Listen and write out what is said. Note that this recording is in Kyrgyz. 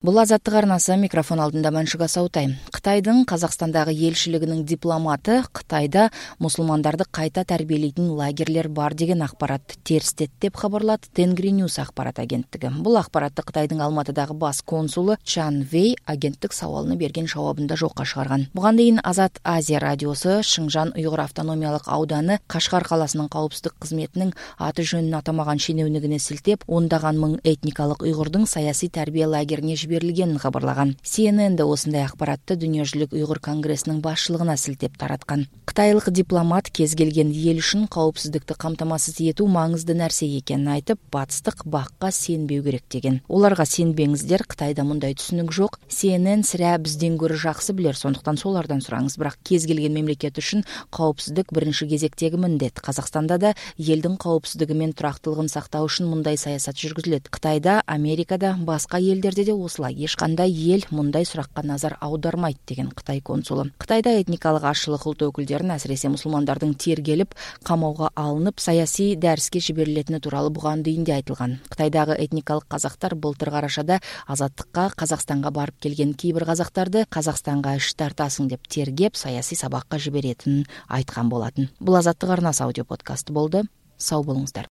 Бул Азаттык арнасы, микрофон алдында Маншуга Саутай. Кытайдын Казакстандагы элчилигинин дипломаты Кытайда мусулмандарды кайта тарбиелейтин лагерлер бар деген акпаратты терстет деп кабарлады Тенгриньюс акпарат агенттиги. Бул акпаратты Кытайдын Алматыдагы бас консулу Чан Вэй агенттик сабалына берген жообунда жокко чыгарган. Буга дейин Азат Азия радиосу Шыңжан уйгур автономиялык ауданы Кашкар каласынын коопсуздук кызметинин аты жөнүн атамаган шенеунүгүнө силтеп, ондаган миң этникалык уйгурдун саясий тарбия лагерине берилгенин кабарлаган. CNN да осундай акпаратты Дүйнө жүзүлүк уйгур конгрессинин башчылыгына силтеп тараткан. Кытайлык дипломат кез келген эл үчүн коопсуздукту камтамасыз этүү маңызды нерсе экенин айтып, батыстык бакка сенбөө керек деген. Оларга сенбеңиздер, Кытайда мындай түшүнүк жок. CNN сирә бизден көрө жакшы билер, сондуктан солардан сураңыз. Бирок кез келген мамлекет үчүн коопсуздук биринчи кезектеги міндет. Казакстанда да элдин коопсуздугу менен турактуулугун сактоо үчүн мындай саясат жүргүзүлөт. Кытайда, Америкада, башка элдерде де эч кандай эл мындай суракка назар аудармайт деген Кытай консулу. Кытайда этникалык ашылык улут өкүлдөрүн, асыресе мусулмандардын тергелип, камоого алынып, саясий дәриске жиберилетини тууралуу буган дейинде айтылган. Кытайдагы этникалык казактар былтыр карашада азаттыкка Казакстанга барып келген кээ бир казактарды Казакстанга иш тартасың деп тергеп, саясий сабакка жиберетинин айткан болатын. Бул Азаттык арнасы аудио подкасты болду. Сау болуңуздар.